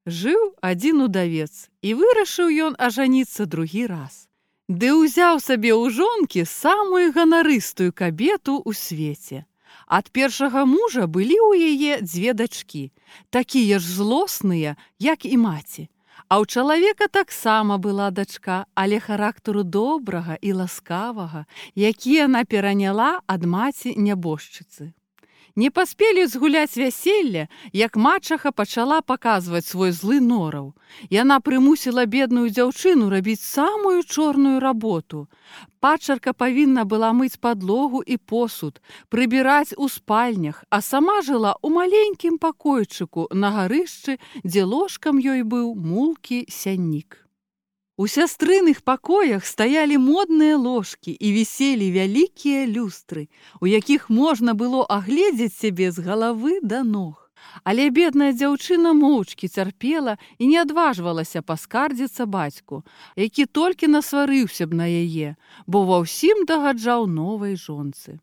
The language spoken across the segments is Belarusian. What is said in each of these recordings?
Жыў адзін удавец, і вырашыў ён ажаніцца другі раз. Ды ўзяў сабе ў жонкі самую ганарыстую кабету ў свеце. Ад першага мужа былі ў яе 2 дачкі, такія ж злосныя, як і маці. А ў чалавека таксама была дачка, але характару добрага і ласкавага, які яна пераняла ад маці нябожчыцы. Не паспелі згуляць вяселле, як мачаха пачала паказваць свой злы нораў. Яна прымусіла бедную дзяўчыну рабіць самую чорную работу. Пачарка павінна была мыць падлогу і посуд, прыбіраць у спальнях, а сама жыла ў маленькім пакойчыку на гарышчы, дзе ложкам ёй быў мулкі сяннік. У сястрыных пакоях стаялі модныя ложкі і віселі вялікія люстры, у якіх можна было агледзець сябе з галавы да ног. Але бедная дзяўчына моўчкі цярпела і не адважвалася паскардзіцца бацьку, які толькі насварыўся б на яе, бо ва ўсім дагаджаў новай жонцы.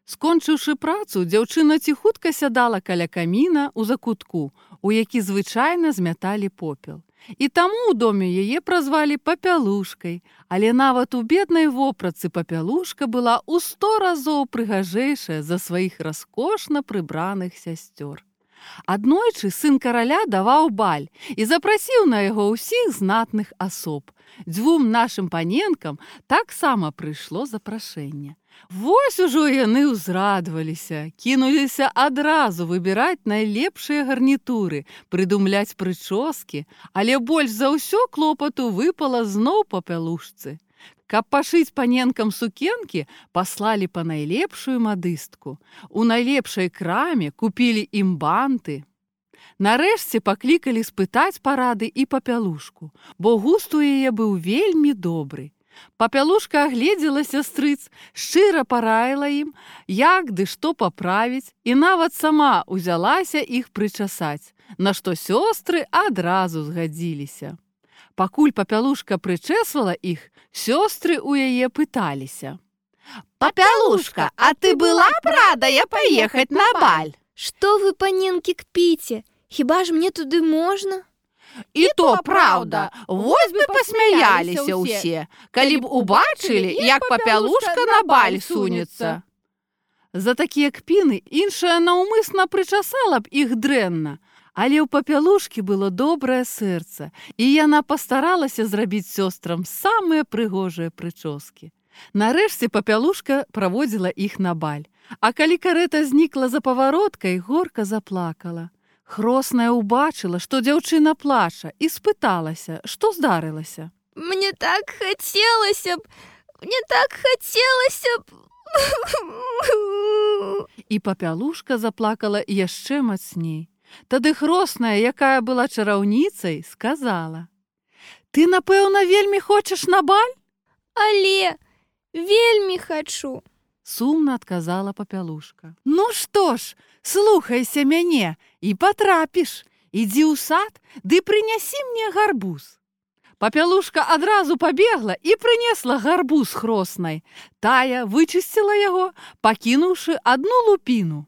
Скончыўшы працу, дзяўчына ціхутка сядала каля каміна ў закутку, у які звычайна змяталі попел. І таму ў доме яе празвалі папялушкай, але нават у беднай вопратцы папялушка была ў 100 разоў прыгажэйшая за сваіх раскошна прыбраных сясцёр. Аднойчы сын караля даваў баль і запрасіў на яго ўсіх знатных асоб. 2 нашым паненкам таксама прыйшло запрашэнне. Вось ужо яны ўзрадваліся, кінуліся адразу выбіраць найлепшыя гарнітуры, прыдумляць прычоскі, але больш за ўсё клопату выпала зноў папялушцы. Каб пашыць паненкам сукенкі, паслалі па найлепшую мадыстку. У найлепшай краме купілі ім банты. Нарэшце паклікалі спытаць парады і папялушку, бо густ у яе быў вельмі добры. Папялушка агледзела сястрыц, шчыра параіла ім, як ды што паправіць, і нават сама ўзялася іх прычасаць, на што сёстры адразу згадзіліся. Пакуль папялушка прычэсвала іх, сёстры ў яе пыталіся: «Папялушка, а ты была б радая паехаць на баль?» «Што вы, паненкі, кпіце? Хіба ж мне туды можна?» «І то праўда, вось бы пасмяяліся ўсе, калі б убачылі, як папялушка на баль сунецца». За такія кпіны іншая наўмысна прычасала б іх дрэнна, але ў папялушкі было добрае сэрца, і яна пастаралася зрабіць сёстрам самыя прыгожыя прычоскі. Нарэшце папялушка праводзіла іх на баль, а калі карэта знікла за павароткай, горка заплакала. Хросная ўбачыла, што дзяўчына плача, і спыталася, што здарылася. Мне так хацелася б. І папялушка заплакала яшчэ мацней. Тады хросная, якая была чараўніцай, сказала: «Ты, напэўна, вельмі хочаш на баль?» Але вельмі хачу. Сумна адказала папялушка. «Ну што ж, слухайся мяне і патрапіш. Ідзі ў сад, ды прынясі мне гарбуз». Папялушка адразу пабегла і прынесла гарбуз хроснай. Тая вычысціла яго, пакінуўшы адну лупіну.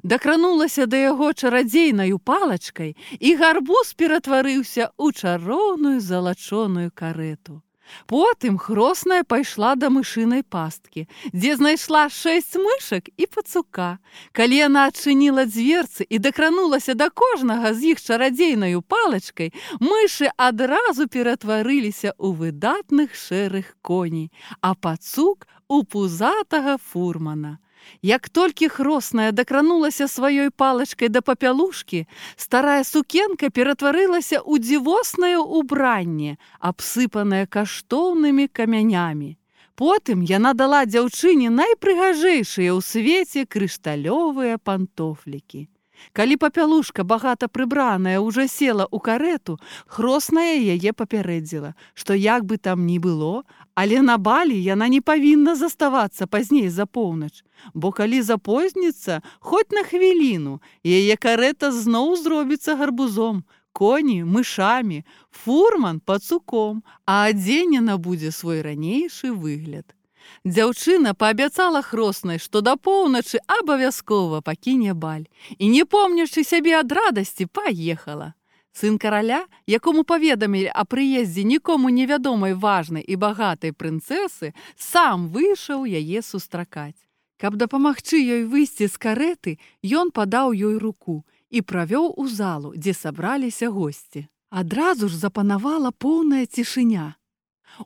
Дакранулася да яго чарадзейнаю палачкай, і гарбуз ператварыўся ў чароўную залачоную карэту. Потым хросная пайшла да мышынай пасткі, дзе знайшла 6 мышак і пацука. Калі яна адчыніла дзверцы і дакранулася да кожнага з іх чарадзейнаю палачкай, мышы адразу ператварыліся ў выдатных шэрых коней, а пацук у пузатага фурмана. Як толькі хросная дакранулася сваёй палачкай да папялушкі, старая сукенка ператварылася ў дзівоснае ўбранне, абсыпанае каштоўнымі камянямі. Потым яна дала дзяўчыне найпрыгажэйшыя ў свеце крышталёвыя пантофлікі. Калі папялушка, багата прыбраная, ўжо села ў карэту, хросная яе папярэдзіла, што як бы там ні было, але на балі яна не павінна заставацца пазней за поўнач, бо калі запозніцца, хоць на хвіліну, яе карэта зноў зробіцца гарбузом, коні мышамі, фурман пацуком, а адзенена будзе свой ранейшы выгляд. Дзяўчына паабяцала хроснай, што да поўначы абавязкова пакіне баль, і, не помнячы сябе ад радасці, паехала. Сын караля, якому паведамілі о прыездзе нікому невядомай важнай і багатай прынцэсы, сам выйшаў яе сустракаць. Каб дапамагчы ёй выйсці з карэты, ён падаў ёй руку і правёў у залу, дзе сабраліся госці. Адразу ж запанавала поўная цішыня.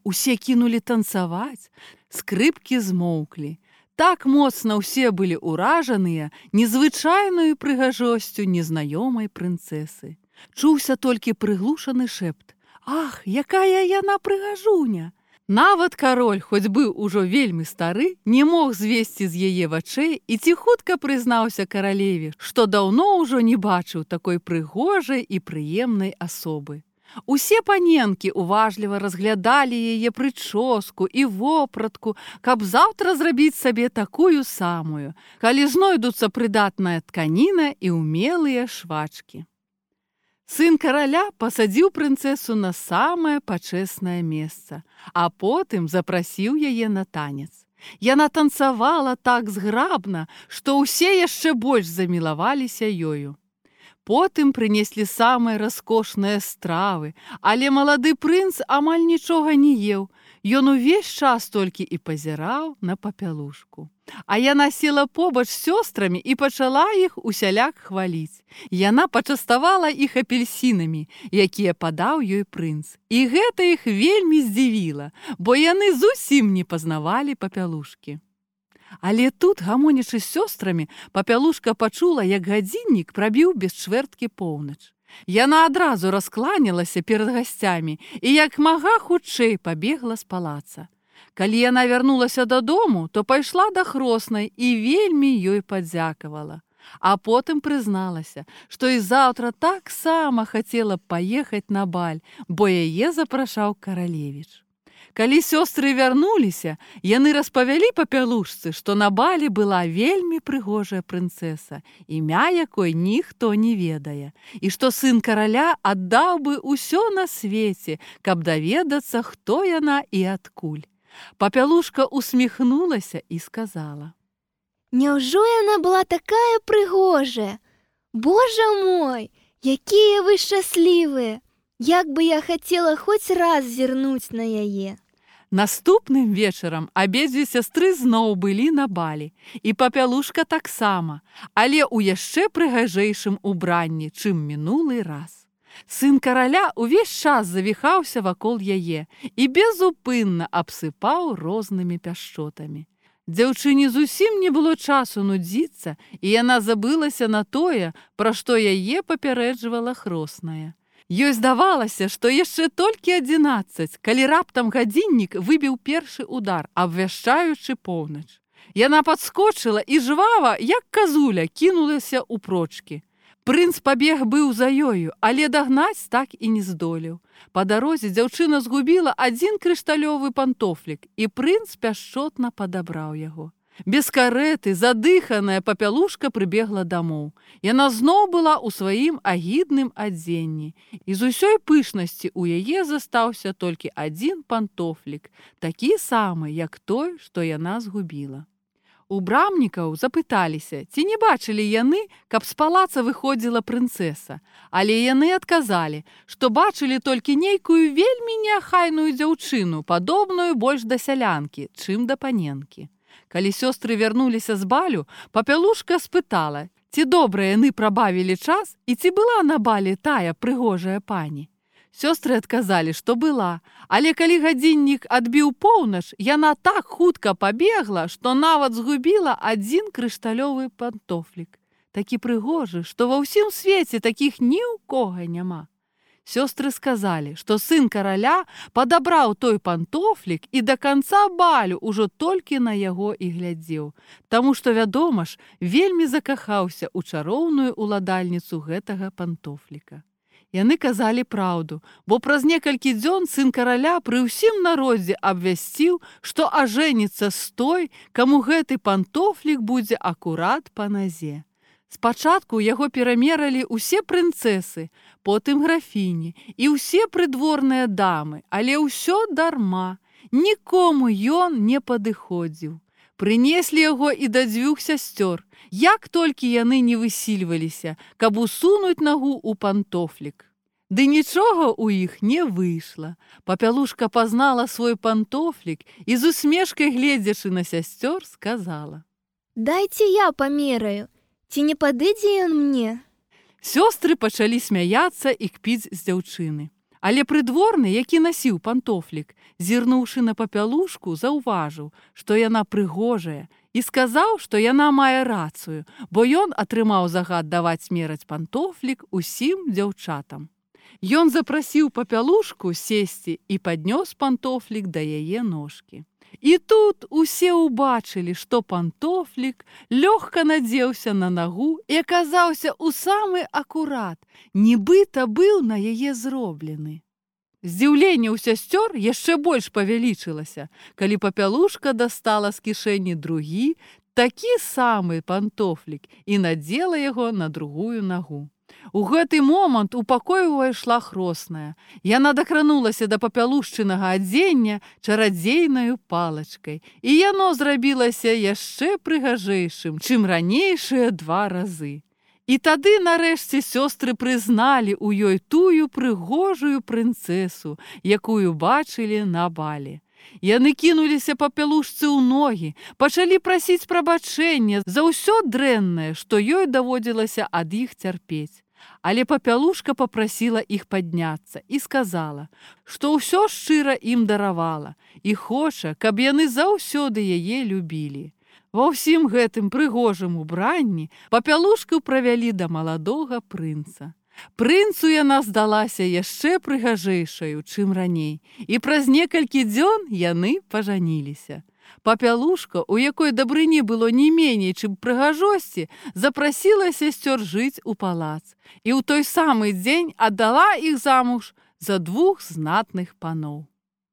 Усе кінулі танцаваць, скрыпкі змоўклі. Так моцна ўсе былі ўражаныя незвычайнаю прыгажосцю незнаёмай прынцэсы. Чуўся толькі прыглушаны шэпт: «Ах, якая яна прыгажуня!» Нават кароль, хоць быў ужо вельмі стары, не мог звесці з яе вачэй і ціхутка прызнаўся каралеве, што даўно ўжо не бачыў такой прыгожай і прыемнай асобы. Усе паненкі уважліва разглядалі яе прычоску і вопратку, каб заўтра зрабіць сабе такую самую, калі знойдуцца прыдатная тканіна і ўмелыя швачкі. Сын караля пасадзіў прынцэсу на самае пачэснае месца, а потым запрасіў яе на танец. Яна танцавала так зграбна, што ўсе яшчэ больш замілаваліся ёю. Потым прынеслі самыя раскошныя стравы, але малады прынц амаль нічога не еў. Ён увесь час толькі і пазіраў на папялушку. А яна села побач з сёстрамі і пачала іх усяляк хваліць. Яна пачаставала іх апельсінамі, якія падаў ёй прынц. І гэта іх вельмі здзівіла, бо яны зусім не пазнавалі папялушкі. Але тут, гамонячы з сёстрамі, папялушка пачула, як гадзіннік прабіў без чвэрткі поўнач. Яна адразу раскланялася перад гасцямі і як мага хутчэй пабегла з палаца. Калі яна вярнулася дадому, то пайшла да хроснай і вельмі ёй падзякавала. А потым прызналася, што і заўтра таксама хацела б паехаць на баль, бо яе запрашаў каралевіч. Калі сёстры вярнуліся, яны распавялі папялушцы, што на балі была вельмі прыгожая прынцэса, імя якой ніхто не ведае, і што сын караля аддаў бы ўсё на свеце, каб даведацца, хто яна і адкуль. Папялушка усміхнулася і сказала: «Няўжо яна была такая прыгожая? Божа мой, якія вы шчаслівыя! Як бы я хацела хоць раз зірнуць на яе!» Наступным вечарам абедзве сястры зноў былі на балі, і папялушка таксама, але ў яшчэ прыгажэйшым убранні, чым мінулы раз. Сын караля ўвесь час завіхаўся вакол яе і безупынна абсыпаў рознымі пяшчотамі. Дзяўчыне зусім не было часу нудзіцца, і яна забылася на тое, пра што яе папярэджвала хросная. Ёй здавалася, што яшчэ толькі 11, калі раптам гадзіннік выбіў першы удар, абвяшчаючы поўнач. Яна падскочыла і жвава, як казуля, кінулася ў прочкі. Прынц пабег быў за ёю, але дагнаць так і не здолеў. Па дарозе дзяўчына згубіла адзін крышталёвы пантофлік, і прынц пяшчотна падабраў яго. Без карэты, задыханая папялушка прыбегла дамоў. Яна зноў была ў сваім агідным адзенні, і з усёй пышнасці ў яе застаўся толькі адзін пантофлік, такі самы, як той, што яна згубіла. У брамнікаў запыталіся, ці не бачылі яны, каб з палаца выходзіла прынцэса, але яны адказалі, што бачылі толькі нейкую вельмі неахайную дзяўчыну, падобную больш да сялянкі, чым да паненкі. Калі сёстры вярнуліся з балю, папялушка спытала, ці добра яны прабавілі час і ці была на балі тая прыгожая пані. Сёстры адказалі, што была, але калі гадзіннік адбіў поўнач, яна так хутка пабегла, што нават згубіла адзін крышталёвы пантофлік. Такі прыгожы, што ва ўсім свеце такіх ні ў кога няма. Сёстры сказалі, што сын караля падабраў той пантофлік і да канца балю ўжо толькі на яго і глядзеў, таму што, вядома ж, вельмі закахаўся ў чароўную уладальніцу гэтага пантофліка. Яны казалі праўду, бо праз некалькі дзён сын караля пры ўсім народзе абвясціў, што ажэніцца з той, каму гэты пантофлік будзе акурат па назе. Спачатку яго перамералі ўсе прынцэсы, потым графіні і ўсе прыдворныя дамы, але ўсё дарма, нікому ён не падыходзіў. Прынеслі яго і да 2 сясцёр, як толькі яны не высільваліся, каб усунуць нагу ў пантофлік. Ды нічога ў іх не выйшла. Папялушка пазнала свой пантофлік і з усмешкай, гледзячы на сясцёр, сказала: Дайце я памераю, ці не падыдзе ён мне? Сёстры пачалі смяяцца і кпіць з дзяўчыны. Але прыдворны, які насіў пантофлік, зірнуўшы на папялушку, заўважыў, што яна прыгожая, і сказаў, што яна мае рацыю, бо ён атрымаў загад даваць мераць пантофлік усім дзяўчатам. Ён запрасіў папялушку сесці і паднёс пантофлік да яе ножкі. І тут усе ўбачылі, што пантофлік лёгка надзеўся на нагу і аказаўся ў самы акурат, нібыта быў на яе зроблены. Здзіўленне ў сясцёр яшчэ больш павялічылася, калі папялушка дастала з кішэні другі, такі самы пантофлік і надзела яго на другую нагу. У гэты момант у пакой увайшла хросная. Яна дакранулася да папялушчынага адзення чарадзейнаю палачкай, і яно зрабілася яшчэ прыгажэйшым, чым ранейшыя 2 разы. І тады, нарэшце, сёстры прызналі ў ёй тую прыгожую прынцэсу, якую бачылі на бале. Яны кінуліся папялушцы ў ногі, пачалі прасіць прабачэння за ўсё дрэннае, што ёй даводзілася ад іх цярпець. Але папялушка папрасіла іх падняцца і сказала, што ўсё шчыра ім даравала і хоча, каб яны заўсёды яе любілі. Ва ўсім гэтым прыгожым убранні папялушку правялі да маладога прынца. Прынцу яна здалася яшчэ прыгажэйшаю, чым раней, і праз некалькі дзён яны пажаніліся. Папялушка, у якой дабрыні было не меней, чым прыгажосці, запрасіла сясцёр жыць у палац і ў той самы дзень аддала іх замуж за 2 знатных паноў.